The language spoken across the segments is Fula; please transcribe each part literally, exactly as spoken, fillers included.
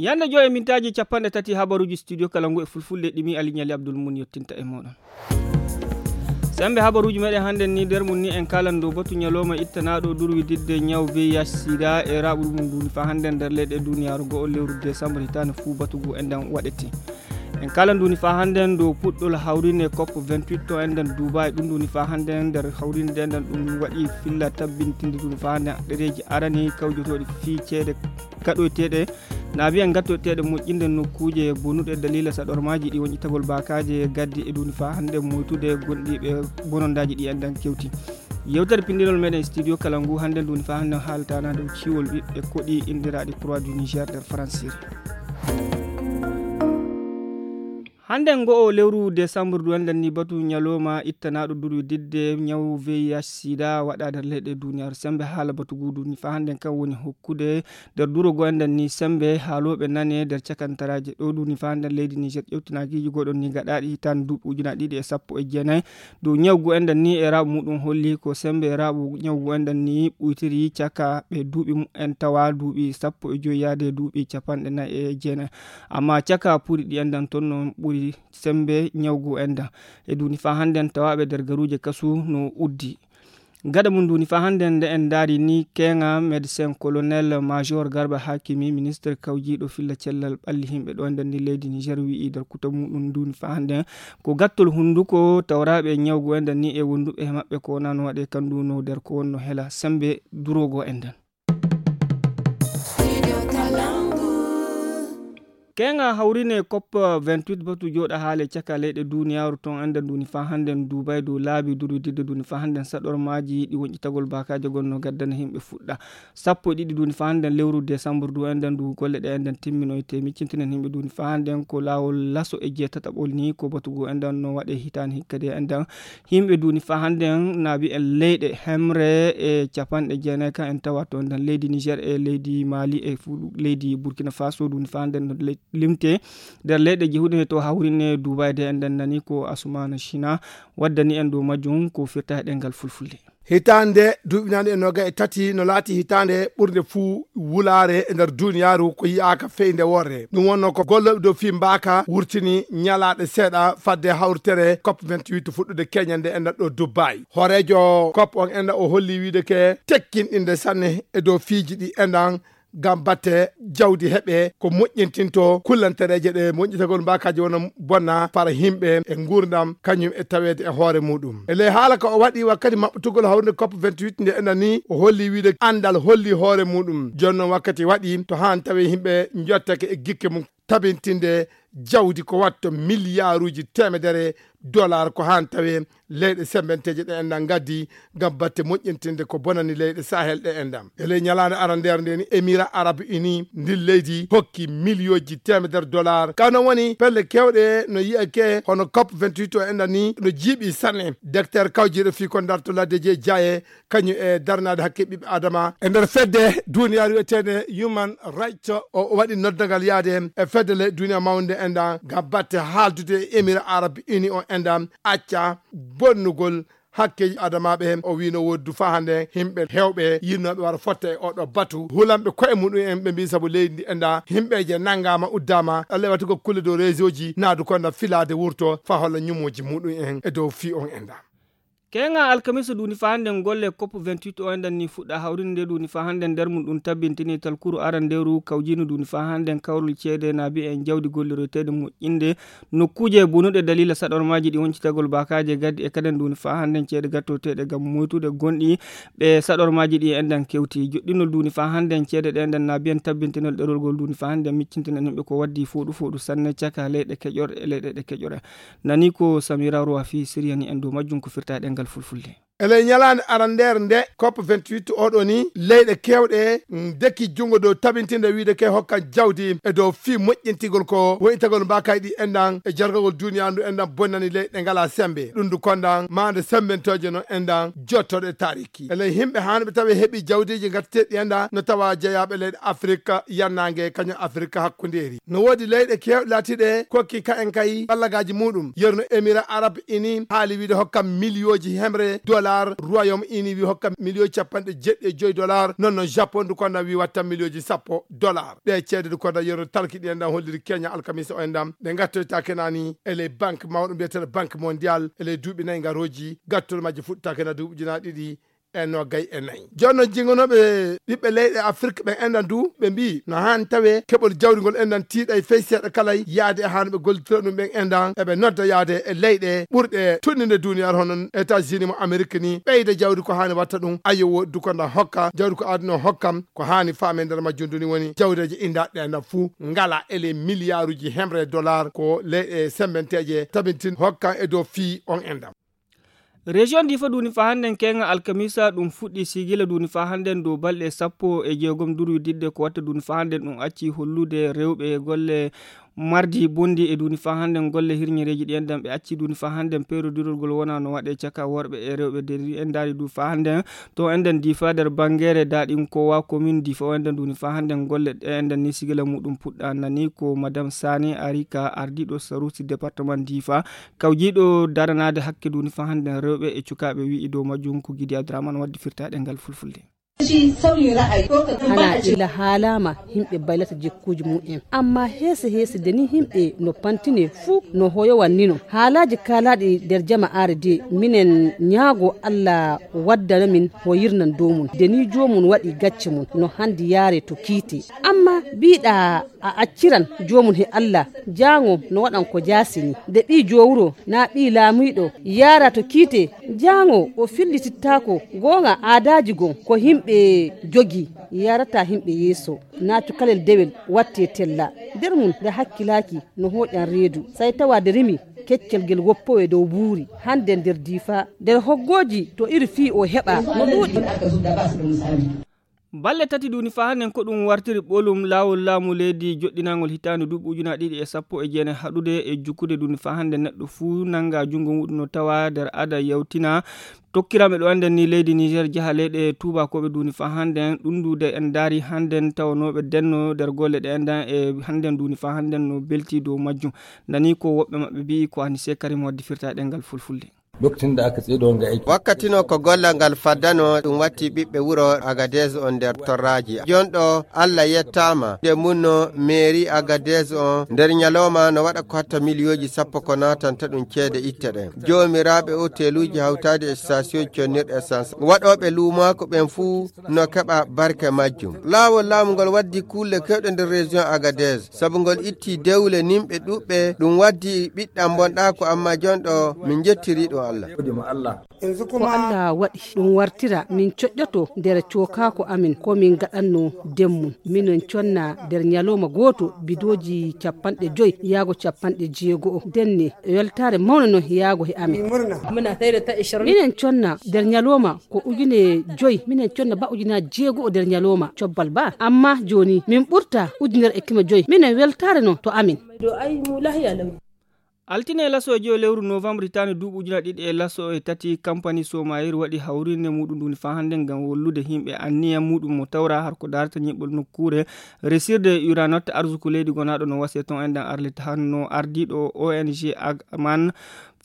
Ñande joy e mintaaji capanɗe tati habaruuji studio kala ngu e fulfulde ɗimi Ali Ñali Abdul Mun yottinta e mooɗon. Sembe habaruuji meɗen hannden ni nder mum ni en kaalan dow batu ñalooma ittanaaɗo durwididde ñaw V I H sida e raaɓudu mum duuni faa hannden nder leyɗe duniyaaru go'o lewru décembre hitaande fuu batu ngu enɗan waɗete. En kaalan duuni faa hannden dow puɗɗol hawrine cop vingt-huit to enɗan Dubai. Ɗum duuni faa hannden nder hawrinde enɗan ɗum waɗi filla tabbintinde duuni faa hannden ɗereeji arani kawjotooɗi fii ceede gaɗoyteeɗe naabi en gattoyteeɗe moƴƴinde nokkuuje bonuɗe daliila saɗormaaji ɗi wonƴitagol baakaaje gaddi e duuni faa hannden moytude gonɗi ɓe bonondaaji ɗi enɗan kewti. Yewtere pinndinol meɗen studio kala ngu hannden duuni faa hannden haaltaana dow ciwol ɓiɓɓe koɗi inndiraaɗi Croix du Niger nder Faransiri. Hannden ngo'o lewru décembre du enɗan ni batu ñalooma ittanaaɗo durwididde ñaw V I H sida waɗa nder leyɗe duniyaaru sembe haala batu ngu duuni faa hannden kan woni hokkude nder duro go enɗan ni sembe haalooɓe nane nder cakantaraaje ɗo duuni faa hannden leydi Niger ƴewtinaakiiji goɗon ni gaɗaaɗi hitaande duuɓi ujunaaji ɗiɗi e sappo e jeenayi dow ñaw ngu enɗan ni e raaɓu muɗum holli ko sembe e raaɓu ñaw ngu enɗan ni ɓuytiri caka ɓe duuɓi mumen tawa duuɓi sappo e joy yaade duuɓi capanɗe nayi e jeenayi. Amma caka puuri ɗi enɗan ton no ɓuri sembe ñaw ngu enɗan e duuni faa hannden tawaaɓe nder garuuje kasu no uddi. Gaɗa mum duuni faa hannden nde en ndaari ni keeŋa médecin colonel major Garba Hakimi ministre kawjiiɗo filla cellal ɓalli himɓe ɗo enɗan ni leydi Niger wi'i nder kuta muɗum duuni faa hannden ko gattol hunnduko tawraaɓe ñaw ngu enɗan ni e wonduɓe e maɓɓe ko wonano waɗe kandu no nder ko wonno hela sembe duro go enɗan. Keeŋa hawrine cop vingt-huit batu jooɗa haale caka leyɗe duniyaaru ton enɗan duuni faa hannden Dubai dow laabi durwididde duuni faa hannden saɗormaaji ɗi wonƴitagol baakaaje gonno gaddana himɓe fuɗɗa sappo e ɗiɗi duuni faa hannden lewru décembre du enɗan du golle ɗe enɗan timminoyte miccintinen himɓe duuni faa hannden ko laawol laso e jeetataɓol ni ko batu ngu enɗan no waɗe hitaande hikka de enɗan himɓe duuni faa hannden naabi en leyɗe hemre e capanɗe jeenayi kan en tawa to enɗan leydi Niger e leydi Mali e fu leydi Burkina Faso duuni faa hannden no le- limte nder leyɗe jehuɗe to hawrine Dubai de enɗan nani ko Asumana Shina waddani en dow majjum ko firta e ɗemngal fulfulde. Hitaande duuɓi nane e noga e tati no laati hitaande ɓurnde fuu wulaare e nder duniyaaru ko yi'aaka fey nde worre. Ɗum wonno ko gollooɓe dow fii mbaaka wurtini ñalaaɗe seeɗa fadde hawritere cop vingt-huit fuɗɗude keñande enɗan ɗo Dubai. Hooreejo cop on enɗan o holli wiide ke tekkinɗinde sanne e dow fiiji ɗi enɗan ngam batte jawdi heɓe ko moƴƴintinto kullantereeje ɗe moƴƴitagol mbaakaaji wona bonna fara himɓe e nguurndam kañum e taweede e hoore muɗum. E ley haala ka o waɗi wakkati maɓɓutugol hawrinde cop vingt-huit nde enɗan ni o holli wiide anndal holli hoore muɗum. Jooni noon wakkati waɗi to haan tawi himɓe njottake e gikke mum tabintinde jawdi ko watto miliyaaruuji teemedere dollar ko haan tawi leyɗe sembenteeje ɗe enɗan ngaddi ngam batte moƴƴintinde ko bonani leyɗe Sahel ɗe enɗan. E ley ñalaande arandeere nde ni Émirats Arabes Unis ndin leydi hokki miliyooji teemedere dollar. Kano woni pelle keewɗe no yi'ake hono cop vingt-huit o enɗan ni no jiiɓi sanne. Docteur kawjiiɗo fii ko darto laddeeji e jaaye kañum e darnaade hakke ɓiɓɓe adama e nder fedde duniyaaru wiyeteende Human Rights o waɗi noddagal yaade e fedde ley duniya mawnde enɗan ngam batte haaldude e Émirats Arabes Unis o enɗan acca bonnugol hakkeeji adamaaɓe. O wiino woddu faa hannde himɓe heewɓe yinnooɓe wara fotta e oɗo batu hulanɓe koye muɗum en ɓe mbii sabu leydi ndi enɗan himɓeeje nanngaama uddaama ɗalle watugol kulle dow réseau ji naadu konda filaade wurto faa holla ñumooji muɗum en e dow fii on enɗan. Keeŋa alkamisa duuni faa hannden golle cop vingt-huit o enɗan ni fuɗɗa hawrinde duuni faa hannden nder mum ɗum tabbintini talkuru arandeeru kawjiinu duuni faa hannden kawrol ceede naabi en jawdi golliroyteede moƴƴinde nokkuuje bonuɗe daliila saɗormaaji ɗi woncitagol baakaaje gaddi e kaden duuni faa hannden ceede gattoyteeɗe ngam moytude gonɗi ɓe saɗormaaji ɗi enɗan kewti joɗɗinol duuni faa hannden ceede ɗe enɗan naabi en tabbintinol ɗerol ngol duuni faa hannden miccintinan yimɓe ko waddi fooɗu fooɗu sanne caka leyɗe keƴorɗe e leyɗe ɗe keƴore. Nani ko Samira Rowa fii siriyani en dow majjum ko firta e ɗemngal fulfulde. E ley ñalaande arandeere nde cop vingt-huit oɗo ni leyɗe keewɗe ndeki junngo dow tabintinde wiide ke hokkan jawdi e dow fii moƴƴintigol ko woyitagol mbaakay ɗi enɗan e jargagol duniyaa ndu enɗan bonnani leyɗe ngalaa sembe ɗum ndu kondan maande sembentooje no enɗan jottoɗe taariki e ley himɓe haanɓe tawi heɓi jawdiiji ngatteteɗi enɗan no tawa jeyaaɓe leyɗe Afirika yannaange kañum Afirika hakkundeeri. No woodi leyɗe keewɗe laatiiɗe kokki ka en kay ballagaaji muɗum yerno Emirats Arabes Unis haali wiide hokkan miliyooji hemre dola. dollar. Royaume Uni wi hokka miliyoji capanɗe jeɗɗi e joyi dollar. Non non Japon du konda wi watta miliyoji sappo dollar. Ɗe ceede du konda yero talki ɗi enɗan holliri Kenya alkamisa o enɗan. Ɓe ngattoyta kenani e ley banque mawɗo mbiyeteɗo Banque Mondiale e ley duuɓi nayi ngaroji. Gattol majji fuɗɗata kena duuɓi ujunaaji ɗiɗi e noogay e nayi. Jooni noon, jingonooɓe ɓiɓɓe leyɗe Afrik ɓen enɗan du, ɓe mbii no haani tawee keɓol jawdi ngol enɗan tiiɗay fey seeɗa kalay yaade e haano ɓe gollitira ɗum ɓen enɗan, eɓe nodda yaade e leyɗe ɓurɗe tonninde duniyaaru, hono États-Unis mo Amerik ni, ɓeyda jawdi ko haani watta ɗum. Ayo, woodi du ko nda hokka, jawdi ko aadino hokkam, ko haani faame nder majjum du ni woni jawdeeje inndaaɗe ɗe enɗan fuu ngala e ley miliyaaruuji hemre dollar ko leyɗe semmbenteeje tabintin hokkan e dow fii on enɗan. Région Difa duuni fa hannden keenga alkamisa ɗum fuɗɗi sigila duuni fa hannden dow balɗe sappo e jeegom duru diɗde ko watta duuni fa hannden ɗum acci hollude rewɓe golle mardi bondi e duuni fa hannden golle hirñereeji ɗi enɗan ɓe acci duuni fa hannden peerodirgol wona no waɗe caka worɓe e rewɓe de ɗi enɗaari du fa hannden to enɗan Difa nder banngere daɗin kowa commune Difa o enɗan duuni fa hannden golle ɗe enɗan ni sigila muɗum puɗɗa nani ko madame Sani Arika ardiɗo sarusi département Difa kawjiiɗo daranaade hakke duuni fa hannden rewɓe e cukaaɓe wi'i dow majjum ko Gidi Abdourahmane waddi firtaaɗe ngal fulfulde. Hana ila haalama himɓe baylata jikkuji mumen, amma heese heese de ni himɓe no pantine fuu no hoyowan nino. Haalaji kaalaɗi nder jama are de minen ñaago Allah waddana min hoyirnan dow mun de ni jomum waɗi gacce mun no handi yaare to kiite. Amma biɗa a acciran joomum he Allah, jaango no waɗan ko jaasini. Nde ɓii jowuro naa ɓii laamiiɗo yaara to kiite, jaango o fillitittaako. Goonga aadaaji gon ko himɓe jogii yaarata himɓe yeeso. Naa cukalel dewel watte tella. Nder mum nde hakkilaaki no hooƴan reedu. Say tawa nde rimi keccel ngel woppowe dow buuri. Hande nder Diifa nder hoggooji to iri fii o heɓa no ɗuuɗi. Balle tati duuni faa hannden ko ɗum wartiri ɓolum laawol laamu leydi joɗɗinaangol hitaande duuɓi ujunaaji ɗiɗi e sappo e jeenayi haɗude e jukkude duuni faa hannden neɗɗo fuu nannga junngo muɗum no tawa nder ada yawtina tokkiranɓe ɗo annden ni leydi Niger jaha leyɗe tuubakooɓe duuni faa hannden ɗundude en ndaari hannden tawanooɓe denno nder golle ɗe enɗan e hannden duuni faa hannden no belti dow majjum nani ko woɓɓe maɓɓe mbi'i ko Anise Karim waddi firta ɗengal fulfulde. Lokacin da aka tsedo wanga aiki. Wakkati no ko gollal ngal faddano ɗum watti ɓiɓɓe wuro Agadez on nder torraji jonɗo Allah yettama nde munno mairie Agadez on nder ñalawma no waɗa ko hatta miliyoji sappo ko natanta ɗum ceede itte ɗen jomiraɓe hoteluji hawtade e station connirɗe essence waɗoɓe lumako ɓen fuu no keɓa barke majjum. Laawol laamu ngol waddi kulle kewɗe nder région Agadez sabu ngol itti dewle nimɓe ɗuɓɓe ɗum waddi ɓiɗɗam bonɗaako amma jonɗo min njettiri ɗum Allah. Ko Allah waɗi ɗum wartira min coƴƴoto nder cookaako amin ko min gaɗanno demmum. Minen conna nder ñalawma gooto bidooji capanɗe joy yaago capanɗe jeego'o denne weltaare mawne non yaago he amin. Minen conna nder ñalawma ko ujune joy minen conna ba ujunaaji jeego'o nder ñalawma cobbal ba amma jooni min ɓurta ujunere e keme joy minen weltaare non to amin. Altine laso e joyo lewru novembre hitaande duuɓi ujunaaji ɗiɗi e laso e tati kampani somayir waɗi hawrinde muɗum nduni faa hannde ngam wallude yimɓe anniya muɗum mo tawra har ko darata ñiɓɓol nokkuure resirde uranot arsuku leydi gonaaɗo no wasiya ton enɗan arlit hanno ardiiɗo ong man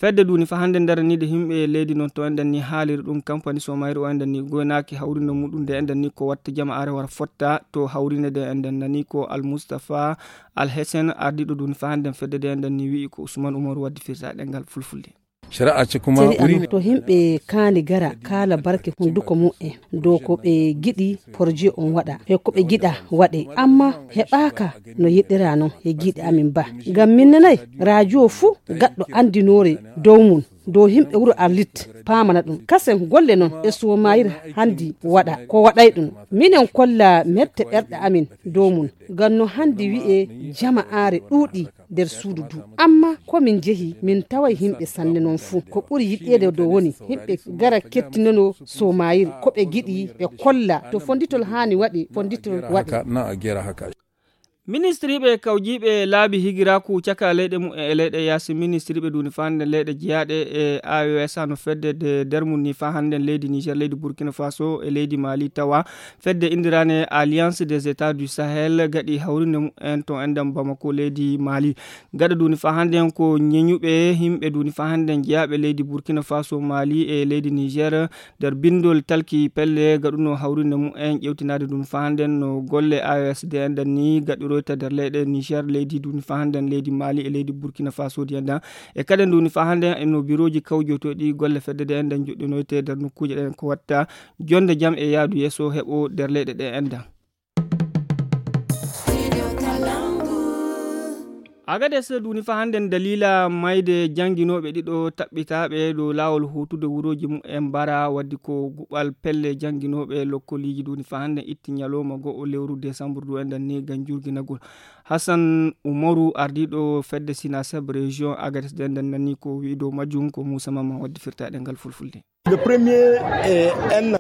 fedde nduni faa hannde daraniide yimɓe leydi noon to enɗan ni haaliri ɗum kampani somayir o enɗan ni goynaaki hawrinde muɗum nde enɗan ni ko watta jama are wara fotta to hawrinde nde enɗan nani ko almustafa alhesen ardiiɗo nduni faa hannde fedde nde enɗan ni wi'i ko usman umaru waddi firta ɗengal fulfulde. Shari'a ce kuma. Shari'a no to himɓe kaani gara kaala barke hunduko mu'en dow ko ɓe giɗi porje on waɗa he ko ɓe giɗa waɗe amma heɓaaka no yiɗira non he giiɗe amin ba ngam min nanay radio fuu gaɗɗo andinoore dow mum dow himɓe wuro arlit paamana ɗum kasen golle non e somayir handi waɗa ko waɗay ɗum minen kolla mette ɓerɗe amin dow mum ngam no handi wi'e jama are ɗuuɗi nder suudu du amma ko min jehi min taway himɓe sanne non fuu ko ɓuri yiɗeede dow woni himɓe gara kettinono somayir ko ɓe giɗi ɓe kolla to fonditol haani waɗe fonditol waɗe. Ministiriiɓe kawjiiɓe laabi higiraaku caka leyɗe mumen e leyɗe yaasi, ministiriiɓe duuni faa hannden leyɗe jeyaaɗe e A E S A no fedde de dermum ni faa hannden leydi Niger, leydi Burkina Faso e leydi Mali tawa fedde indiraane Alliance des États du Sahel gaɗi hawrinde mumen to enɗam Bamako leydi Mali. Gaɗa duuni faa hannden ko ñeñuɓe yimɓe duuni faa hannden jeyaaɓe leydi Burkina Faso, Mali e leydi Niger nder binndol talki pelle gaɗuno hawrinde mumen ƴewtinaade ɗum faa hannden no golle A E S D enɗan ni gaɗiroyta nder leyɗe Niger, leydi duuni faa hannden leydi Mali e leydi Burkina Faso di enɗan. E kadi duuni faa hannden e no birooji kawjotooɗi golle fedde de enɗan joɗɗinoyte nder nokkuuje ɗen ko watta jonde jam e yaadu yeeso heɓo nder leyɗe ɗe enɗan. Agades duuni faa hannden daliila mayde jannginooɓe ɗiɗo taɓɓitaaɓe dow laawol huutude wurooji mumen mbara waddi ko guɓal pelle jannginooɓe lokkoliiji duuni faa hannden itti ñalooma go'o lewru desambur du enɗan ni ngam jurginagol. Hassan Umaru ardiiɗo fedde Sinaseb région Agades de enɗan nani ko wi'i dow majjum ko Muusa Mamman waddi firtaaɗe ngal fulfulde.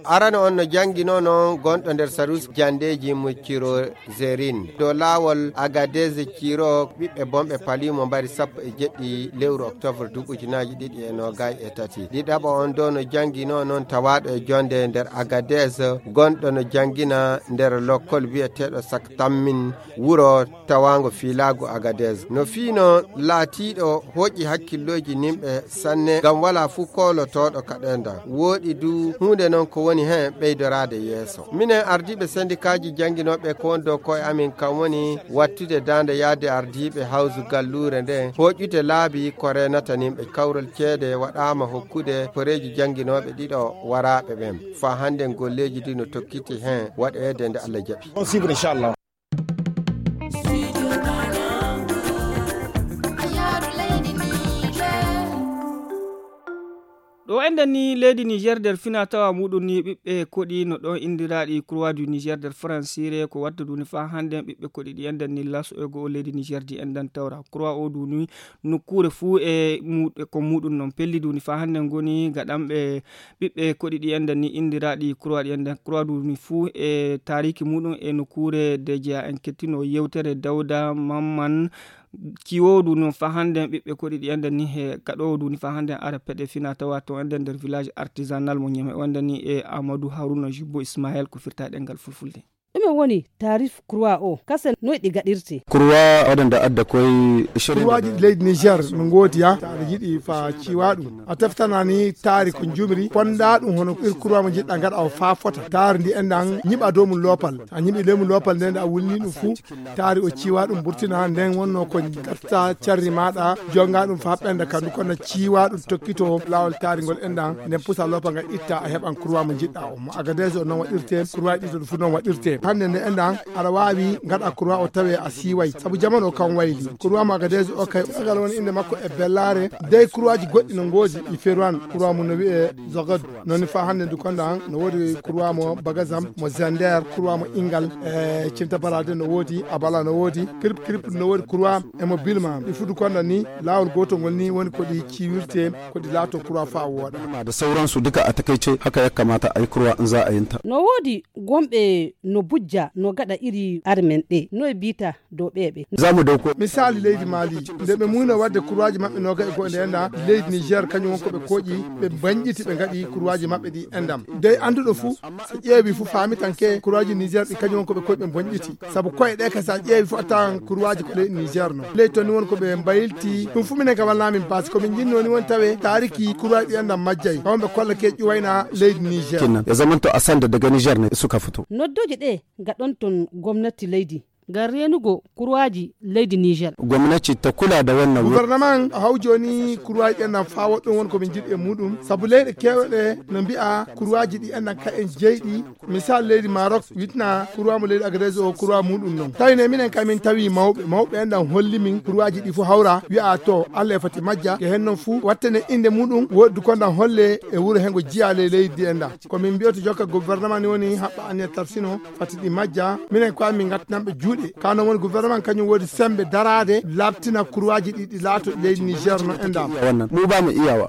Arano on no jannginoo noon gonɗo nder sarus janndeeji mo Ciro Zerin. Dow laawol Agadez Ciro, ɓiɓɓe bonɓe palimo mbari sappo e jeɗɗi lewru oktoobar duuɓi ujunaaji ɗiɗi e noogay e tati. Ɗiɗaɓo on dow no jannginoo noon tawaaɗo e jonde nder Agadez, gonɗo no janngina nder lokkol wi'eteeɗo Saktammin wuro tawaango fiilaagu Agadez. No fiino laatiiɗo hooƴi hakkillooji nimɓe sanne, ngam walaa fuu koolotooɗo kaɗenda. Wooɗi du huunde noon ko woni heen ɓeydoraade yeeso. Minen ardiiɓe sendikaaji jannginooɓe ko woni dow ko'e amin, kam woni wattude daande yaade ardiiɓe hawsu galluure nde, hooƴude laabi ko reenata nimɓe. Kawral ceede waɗaama hokkude koreeji jannginooɓe ɗiɗo waraaɓe ɓen. Faa hannden golleeji ɗi no tokkiti heen waɗeede nde Allah jaɓi. Ɗo enɗen ni leydi Niger nder fina tawa muɗum ni ɓiɓɓe koɗi no ɗon indiraɗi Croix du Niger nder Fransire ko watta duni faa hannden ɓiɓɓe koɗi ɗi enɗen ni laso e go'o leydi Niger di enɗan tawra Croix o duni nokkuure fuu e mu-, e ko muɗum non pelli duni faa hannden ngoni gaɗanɓe ɓiɓɓe koɗi ɗi enɗen ni indiraaɗi Croix ɗi enɗen Croix du ni fuu e taariki muɗum e nokkuure de jeya en kettino yewtere Dawda Mamman Ciwoodu no faa hannden ɓiɓɓe koɗi ɗi enɗen ni he gaɗoowo du ni faa hannden ara peɗe fina tawa to enɗen nder village artisanal mo Ñeme o enɗen ni e Amadou Haruna Jubbo Ismaël ko firta ɗengal fulfulde. Ɗume woni taarif Croix o? Kasen noy ɗi gaɗirte? Croix waɗanda adda koye Croix ji ɗi leydi Niger no ngoodi ya. Aɗa yiɗi fa ciwa ɗum. A teftanani taari ko jumri. Ponda ɗum hono ir Croix mo jiɗɗa gaɗa o fa fota. Taari ndi enɗan ñiɓa dow mum loopal. A ñiɓi ley mum loopal nden a wulni ɗum fuu. Taari o ciwa ɗum burtina nden wonno ko gatta carri maɗa. Jonga ɗum fa ɓenda kandu kono ciwa ɗum tokkito laawol taari ngol enɗan. Nden pusa loopal ngal itta a heɓan Croix mo jiɗɗa o. Mo Agadez o non waɗirte. Croix ɗiɗo ɗum fu non waɗirte. Hande nde enɗan aɗa waawi ngaɗa Croix o tawe a siiway. Sabu jamanu o kan wayli. Croix mo Agadez o kay o gal woni innde makko e bellaare. Dey Croix ji goɗɗi no ngoodi ɗi feruwan. Croix mum no wi'e Zogod. Non ni faa hande ndu konda an no woodi Croix mo Bagazam, mo Zender, Croix mo Ingal, e Cinta Balade no woodi, Abala no woodi, Kirip Kirip no woodi Croix e mo Bilma. Ɗi fu du konda ni laawol gootol ngol ni woni ko ɗi ciwirte, ko ɗi laato Croix faa wooɗa. Da sauransu duka a takaice haka ya kamata a yi Croix in za a yin ta. No woodi gomɓe no bujja no gaɗa iri armen ɗe no e biita dow ɓeeɓe. Za mu dauko. Misali leydi Mali, nde ɓe muyno waɗde kurwaaji maɓɓe nooga e go'o nde enɗan, leydi Niger kañum won ko ɓe koƴi, ɓe mbañƴiti ɓe ngaɗi kurwaaji maɓɓe ɗi enɗam. Dey annduɗo fuu, so ƴeewi fuu faami tan ke kurwaaji Niger ɗi kañum won ko ɓe koƴi ɓe mbañƴiti. Sabu koye ɗe ka so a ƴeewi fuu a tawan kurwaaji ko leydi Niger no. Leydi toon ni won ko ɓe mbaylti, ɗum fuu minen ka wallaa min baasi. Ko min njinnoo ni won tawe taariki kurwaaji ɗi enɗam majjay. Kawon ɓe kolla ke ƴuwayna leydi Niger. Kinnan. Ya zamanto a sanda daga Niger ne suka fito. Noddooji ɗe gaɗon toon gomnati leydi. Ngam reenugo kurwaaji leydi Niger. Gwamnati ta kula da wannan wuri. Gouvernement hawjoni kurwaaji ɗen nan faa woɗɗon won ko min njiɗi e muɗum. Sabu leyɗe keewɗe no mbi'a kurwaaji ɗi enɗan ka en jeyɗi. Misal leydi Maroc witna kurwaa mo leydi Agadez o kurwaa muɗum non. Tawi ne minen ka min tawi mawɓe. Mawɓe enɗan holli min kurwaaji ɗi fof hawra wi'a to Allah e foti majja. Ke hen non fuu wattene innde muɗum woɗdu konɗan holle e wuro hen go jiya ley leydi enɗan. Ko min mbiyoto jokka gouvernement ni woni haɓɓa anniya tarsino. Fati ɗi majja, minen ko min ngattinanɓe juuɗe. Ka non woni gouvernement kañum woodi sembe daraade, labtina kurwaaji ɗi, ɗi laato leydi Niger no enɗam. Wannan mu ba mu iyawa.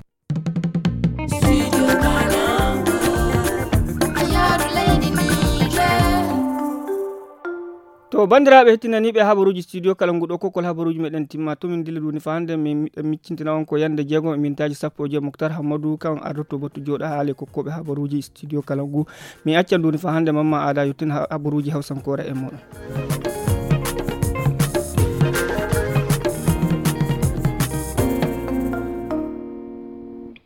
To banndiraaɓe hettinaniiɓe habaruuji studio kala ngu ɗo kokkol habaruuji meɗen timma to min ndilla duuni fa hannde min miɗen miccintina on ko yannde jeego e mintaaji sappo e joy moktar hammadu kan ardoto battu jooɗa haale kokkooɓe habaruuji studio kala ngu. Min accan duuni fa hannde mamma aada yottin habaruuji hawsankoore e moɗon.